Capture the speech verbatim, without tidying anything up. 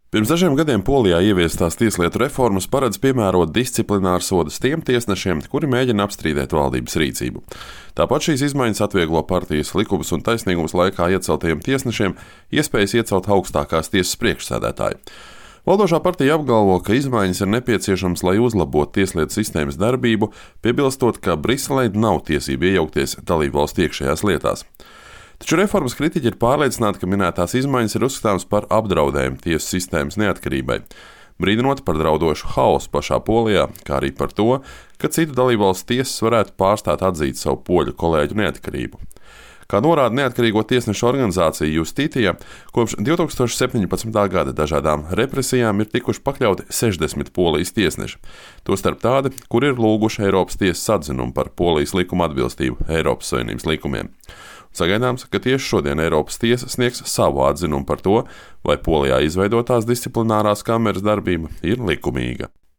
Pirms dažiem gadiem Polijā ieviestās tieslietu reformas paredz piemērot disciplināru sodus tiem tiesnešiem, kuri mēģina apstrīdēt valdības rīcību. Tāpat šīs izmaiņas atvieglo partijas Likums un taisnīgums laikā ieceltajiem tiesnešiem iespējas iecelt augstākās tiesas priekšsēdētāju. Valdošā partija apgalvo, ka izmaiņas ir nepieciešamas, lai uzlabotu tieslietu sistēmas darbību, piebilstot, ka Briselei nav tiesība iejaukties dalībvalstu iekšējās lietās. Taču reformas kritiķi ir pārliecināti, ka minētās izmaiņas ir uzskatāmas par apdraudējumu tiesu sistēmas neatkarībai, brīdinot par draudošu haosu pašā Polijā, kā arī par to, ka citu dalībvalstu tiesas varētu pārstāt atzīt savu poļu kolēģu neatkarību. Kā norāda neatkarīgo tiesnešu organizācija Justītija, kopš divi tūkstoši septiņpadsmitā gada dažādām represijām ir tikuši pakļauti sešdesmit Polijas tiesneši, tostarp tādi, kuri ir lūguši Eiropas tiesas atzinumu par Polijas likuma atbilstību Eiropas Savienības likumiem. Sagaidāms, ka tieši šodien Eiropas tiesa sniegs savu atzinumu par to, vai Polijā izveidotās disciplinārās kameras darbība ir likumīga.